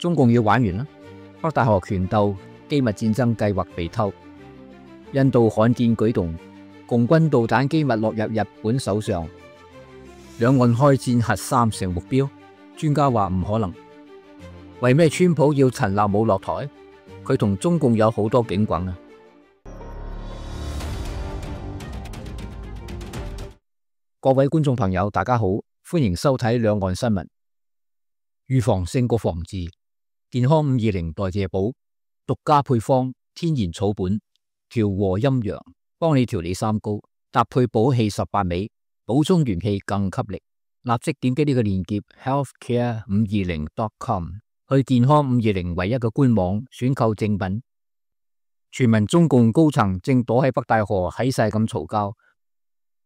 中共要玩完啦！北戴河權鬥、機密戰爭計劃被偷，印度罕見舉動，共軍導彈機密落入日本手上，兩岸開戰核三成目標，專家話唔可能。為咩川普要陳立武落台？佢同中共有好多警棍啊！各位觀眾朋友，大家好，歡迎收睇兩岸新聞。預防勝過防治，健康520代謝寶，獨家配方，天然草本，調和陰陽，幫你調理三高，搭配補氣18味，補充元氣更給力。立即點擊呢個鏈接 healthcare520.com 去健康520唯一嘅官網選購正品。傳聞中共高層正躲喺北戴河喺晒咁嘈交，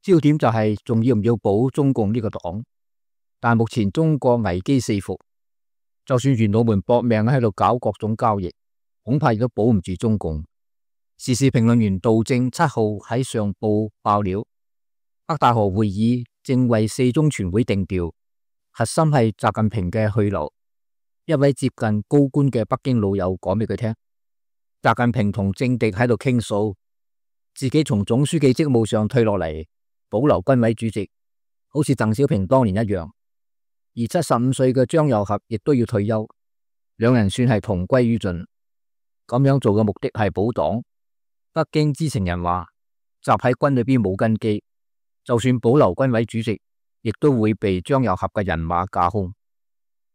焦點就係仲要唔要保中共呢個黨？但目前中國危機四伏，就算元老們搏命喺度搞各種交易，恐怕亦都保唔住中共。時事評論員杜正7號喺上報爆料，北戴河會議正為4中全會定調，核心係習近平嘅去留。一位接近高官嘅北京老友講俾佢聽，習近平同政敵喺度傾訴，自己從總書記職務上退落嚟，保留軍委主席，好似鄧小平當年一樣。而75歲嘅張又俠亦都要退休，兩人算係同歸於盡。咁樣做嘅目的係保黨。北京知情人話，習喺軍裏邊冇根基，就算保留軍委主席，亦都會被張又俠嘅人馬架空。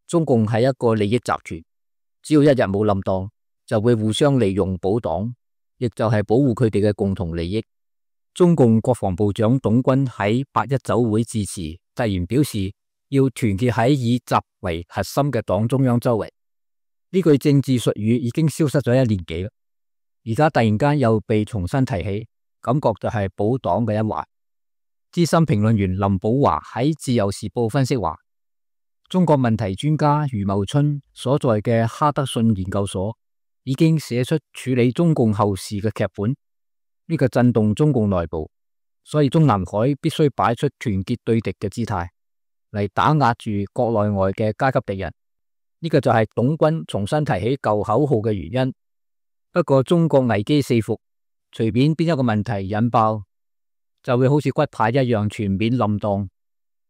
中共係一個利益集團，只要一日冇冧檔，就會互相利用保黨，亦就係保護佢哋嘅共同利益。中共國防部長董軍喺8·1酒會致辭，突然表示要團結喺以習為核心嘅黨中央周圍。呢句政治術語已經消失咗1年幾啦，而家突然間又被重新提起，感覺就係保黨嘅一環。資深評論員林寶華喺自由時報分析話，中國問題專家余茂春所在嘅哈德遜研究所已經寫出處理中共後事嘅劇本，呢個震動中共內部，所以中南海必須擺出團結對敵嘅姿態嚟打壓住國內外嘅階級敵人。呢個就係董軍重新提起舊口號嘅原因。不過中國危機四伏，隨便邊一個問題引爆，就會好似骨牌一樣全面冧檔，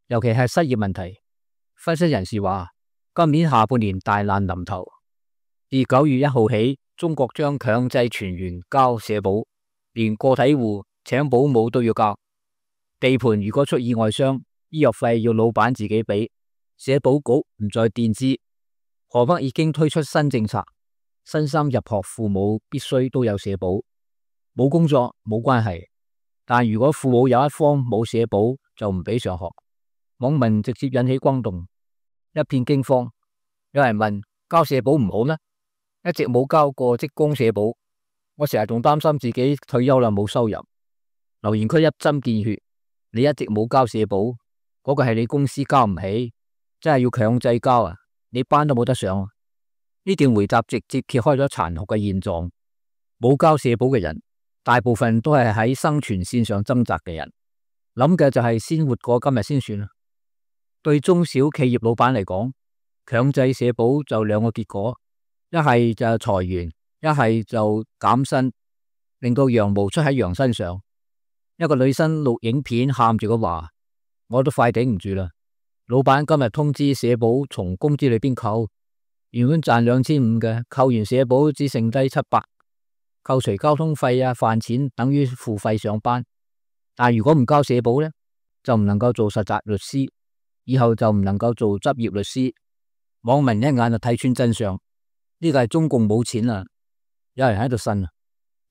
尤其係失業問題。分析人士話，今年下半年大難臨頭。自9月1號起，中國將強制全員交社保，連個體戶請保姆都要交。地盤如果出意外傷，醫藥費要老闆自己俾，社保局唔再墊資。河北已經推出新政策，新生入學父母必須都有社保，冇工作冇關係，但如果父母有一方冇社保，就唔俾上學。網民直接引起轟動，一片驚慌。有人問，交社保唔好咩？一直冇交過職工社保，我成日仲擔心自己退休啦冇收入。留言區一針見血，你一直冇交社保，嗰個係你公司交唔起，真係要強制交啊！你班都冇得上啊！呢段回答直接揭開咗殘酷嘅現狀。冇交社保嘅人，大部分都係喺生存線上掙扎嘅人，諗嘅就係先活過今日先算啦。對中小企業老闆嚟講，強制社保就兩個結果，一係就裁員，一係就減薪，令到羊毛出喺羊身上。一個女生錄影片喊住咁話，我都快頂唔住啦！老闆今日通知社保從工資裏邊扣，原本賺2500嘅，扣完社保只剩低700，扣除交通費啊、飯錢，等於付費上班。但如果唔交社保呢，就唔能夠做實習律師，以後就唔能夠做執業律師。網民一眼就睇穿真相，呢個係中共冇錢啦，有人喺度呻，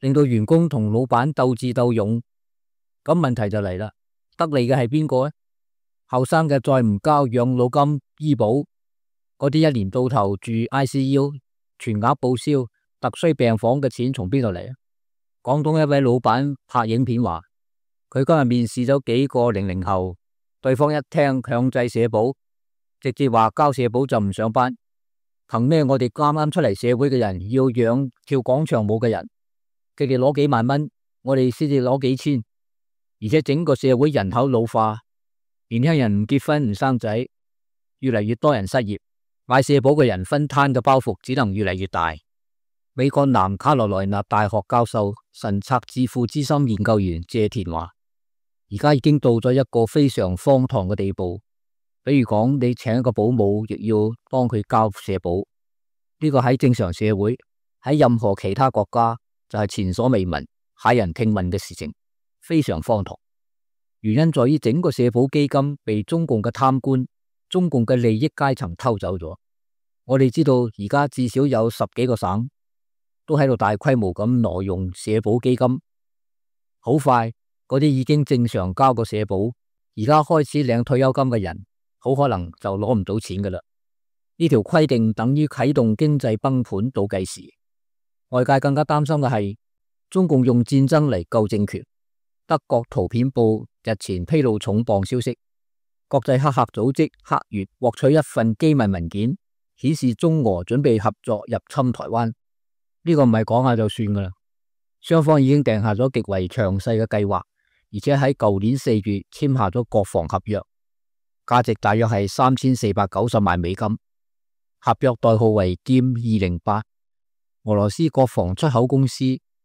令到員工同老闆鬥智鬥勇。咁問題就嚟啦，得利嘅係邊個呢？後生嘅再唔交養老金、醫保，嗰啲一年到頭住 ICU、全額報銷、特需病房嘅錢從邊度嚟啊？廣東一位老闆拍影片話，佢今日面試咗幾個00後，對方一聽強制社保，直接話交社保就唔上班。憑咩我哋啱啱出嚟社會嘅人要養跳廣場舞嘅人？佢哋攞幾萬蚊，我哋先至攞幾千，而且整個社會人口老化，年輕人唔結婚唔生仔，越嚟越多人失業，買社保嘅人分攤嘅包袱只能越嚟越大。美國南卡羅來納大學教授、神策智庫資深研究員謝田話，而家已經到咗一個非常荒唐嘅地步。比如講，你請一個保姆，亦要幫佢交社保。呢個喺正常社會，喺任何其他國家就係前所未聞、駭人聽聞嘅事情，非常荒唐。原因在於整個社保基金被中共嘅貪官、中共嘅利益階層偷走咗。我哋知道而家至少有10幾個省都喺度大規模咁挪用社保基金。好快，嗰啲已經正常交過社保，而家開始領退休金嘅人，好可能就攞唔到錢噶啦。呢條規定等於啟動經濟崩盤倒計時。外界更加擔心嘅係中共用戰爭嚟救政權。德國圖片報日前披露重磅消息，國際黑客組織黑月獲取一份機密文件，顯示中俄準備合作入侵台灣。呢個唔係講下就算噶啦，雙方已經訂下咗極為詳細嘅計劃，而且喺舊年4月簽下咗國防合約，價值大約係3490萬美金。合約代號為劍208。俄羅斯國防出口公司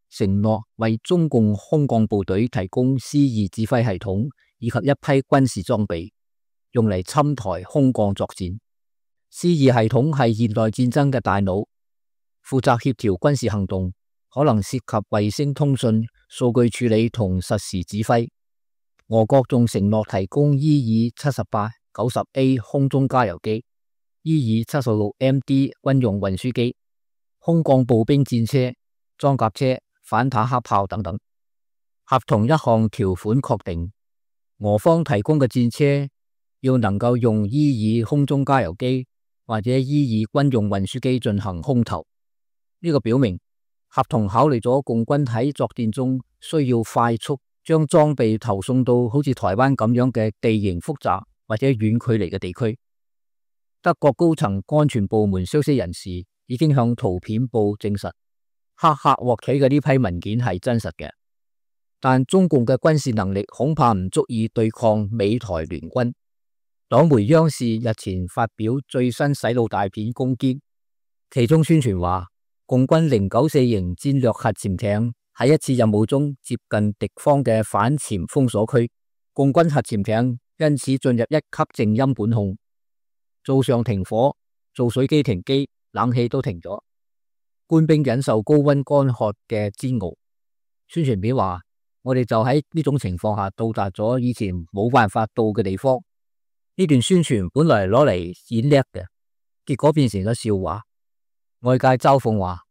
承諾為中共空降部隊提供 C2 指揮系統以及一批軍事裝備，用嚟侵台空降作戰。C2 系統係現代戰爭嘅大腦，負責協調軍事行動，可能涉及衛星通訊、數據處理同實時指揮。俄國仲承諾提供 E-78-90A 空中加油機、E-76MD 軍用運輸機、空降步兵戰車、裝甲車、反坦克炮等等。合同一項條款確定，俄方提供嘅戰車要能夠用 E-2空中加油機或者 E-2軍用運輸機進行空投。呢個表明合同考慮咗共軍喺作戰中需要快速將裝備投送到好似台灣咁樣嘅地形複雜或者遠距離嘅地區。德國高層安全部門消息人士已經向圖片報證實，黑客獲取嘅呢批文件係真實嘅，但中共嘅軍事能力恐怕唔足以對抗美台聯軍。黨媒央視日前發表最新洗腦大片《攻堅》，其中宣傳話，共軍094型戰略核潛艇喺一次任務中接近敵方嘅反潛封鎖區，共軍核潛艇因此進入1級靜音管控，灶上停火，造水機停機，冷氣都停咗，官兵忍受高溫乾渴嘅煎熬。宣傳片話，我哋就喺呢種情況下到達咗以前冇辦法到嘅地方。呢段宣傳本來攞嚟演叻嘅，結果變成咗笑話。外界嘲諷話，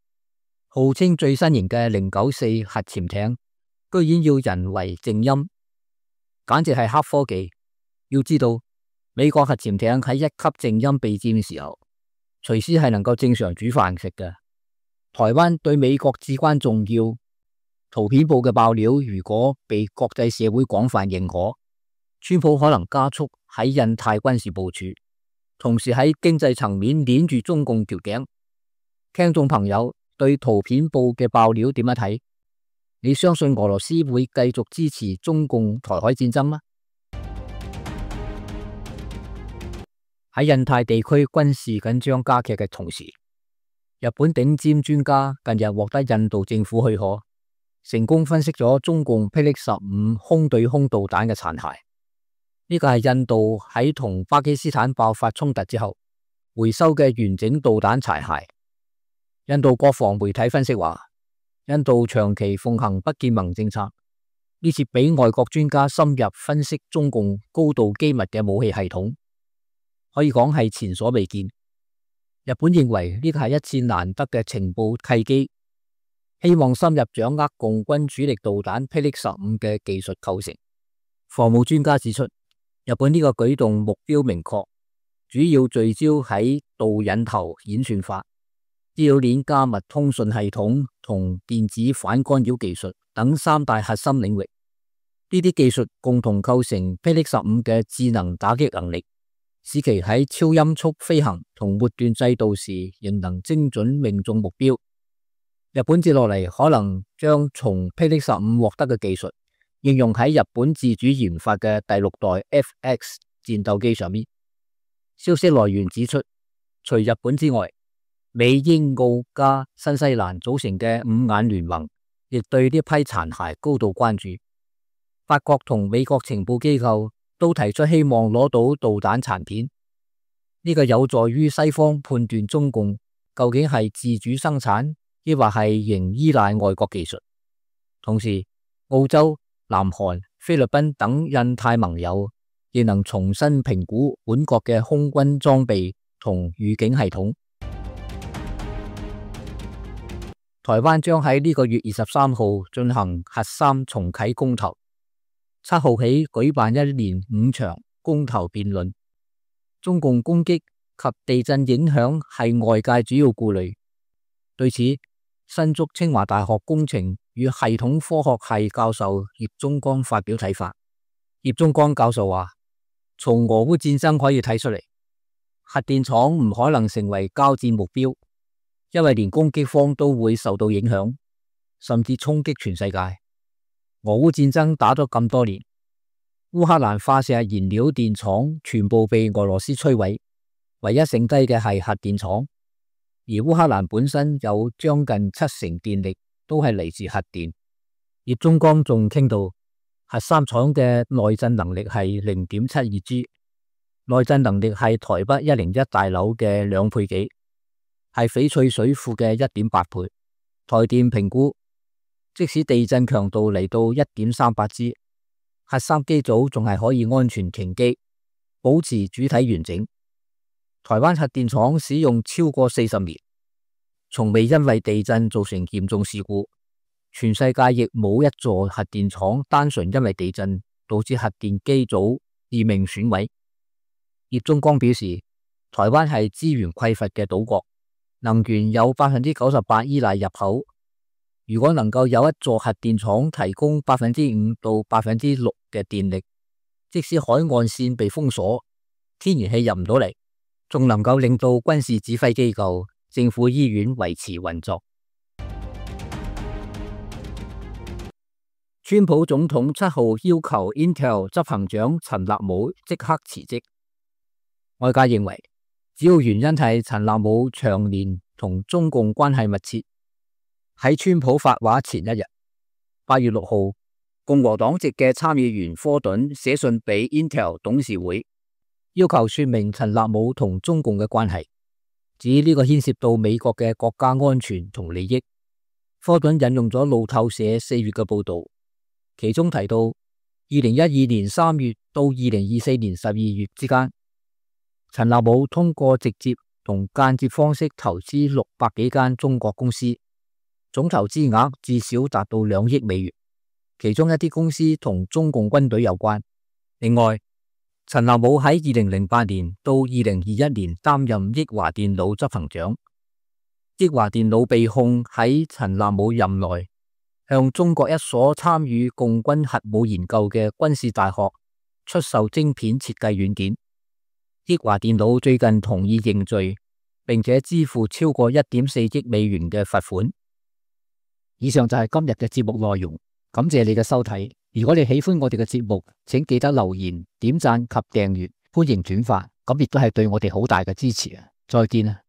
號稱最新型嘅094核潛艇居然要人為靜音，簡直係黑科技。要知道，美國核潛艇喺1級靜音備戰嘅時候，隨時係能夠正常煮飯食嘅。台灣對美國至關重要。圖片報嘅爆料如果被國際社會廣泛認可，川普可能加速喺印太軍事部署，同時喺經濟層面鏈住中共條頸。聽眾朋友對圖片報嘅爆料點樣睇？你相信俄羅斯會繼續支持中共台海戰爭嗎？喺印太地區軍事緊張加劇嘅同時，日本頂尖專家近日獲得印度政府許可，成功分析咗中共霹靂15空對空導彈嘅殘骸。呢個係印度喺同巴基斯坦爆發衝突之後回收嘅完整導彈殘骸。印度國防媒體分析話，印度長期奉行不結盟政策，呢次俾外國專家深入分析中共高度機密嘅武器系統，可以講係前所未見。日本認為呢個係一次難得嘅情報契機，希望深入掌握共軍主力導彈霹靂15嘅技術構成。防務專家指出，日本呢個舉動目標明確，主要聚焦喺導引頭演算法、資料鏈加密通訊系統同電子反干擾技術等3大核心領域。呢啲技術共同構成霹靂15嘅智能打擊能力，使其喺超音速飛行同末段制導時仍能精準命中目標。日本接落嚟可能將從霹靂15獲得嘅技術應用喺日本自主研發嘅第6代FX 戰鬥機上面。消息來源指出，除日本之外，美、英、澳加新西蘭組成嘅五眼聯盟亦對呢批殘骸高度關注。法國同美國情報機構都提出希望攞到導彈殘片，呢個有助於西方判斷中共究竟係自主生產，抑或係仍依賴外國技術。同時，澳洲、南韓、菲律賓等印太盟友亦能重新評估本國嘅空軍裝備同預警系統。台灣將喺呢個月23號進行核三重啟公投，7號起舉辦一連5場公投辯論。中共攻擊及地震影響係外界主要顧慮。對此，新竹清華大學工程與系統科學系教授葉忠光發表睇法。葉忠光教授話，從俄烏戰爭可以睇出嚟，核電廠唔可能成為交戰目標，因為連攻擊方都會受到影響，甚至衝擊全世界。俄烏戰爭打咗咁多年，烏克蘭化石燃料電廠全部被俄羅斯摧毀，唯一剩低嘅係核電廠。而烏克蘭本身有將近70%電力都係嚟自核電。葉忠光仲傾到，核三廠嘅內震能力係 0.72G， 內震能力係台北101大樓嘅2倍幾，係翡翠水庫嘅 1.8 倍。台電評估，即使地震強度嚟到 1.38G， 核三機組仲係可以安全停機，保持主體完整。台灣核電廠使用超過40年，從未因為地震造成嚴重事故。全世界亦冇一座核電廠單純因為地震導致核電機組致命損毀。葉忠光表示，台灣係資源匱乏嘅島國，能源有 98% 依賴入口。如果能夠有一座核電廠提供 5% 到 6% 嘅電力，即使海岸線被封鎖，天然氣入唔到嚟，仲能夠令到軍事指揮機構、政府醫院維持運作。川普總統7號要求 Intel 執行長陳立武即刻辭職。外界認為，主要原因係陳立武長年同中共關係密切。喺川普發話前一日，8月6號，共和黨籍嘅參議員科頓寫信俾 Intel 董事會，要求說明陳立武同中共嘅關係，指呢個牽涉到美國嘅國家安全同利益。科頓引用咗路透社4月嘅報道，其中提到2012年3月到2024年12月之間，陳立武通過直接同間接方式投資600幾間中國公司，總投資額至少達到2億美元，其中一啲公司同中共軍隊有關。另外，陳立武喺2008年到2021年擔任益華電腦執行長。益華電腦被控喺陳立武任內向中國一所參與共軍核武研究嘅軍事大學出售晶片設計軟件。益華電腦最近同意認罪，並且支付超過 1.4 億美元嘅罰款。以上就係今日嘅節目內容，感謝你嘅收睇。如果你喜歡我哋嘅節目，請記得留言、點讚及訂閱，歡迎轉發，咁亦都係對我哋好大嘅支持啊！再見啊！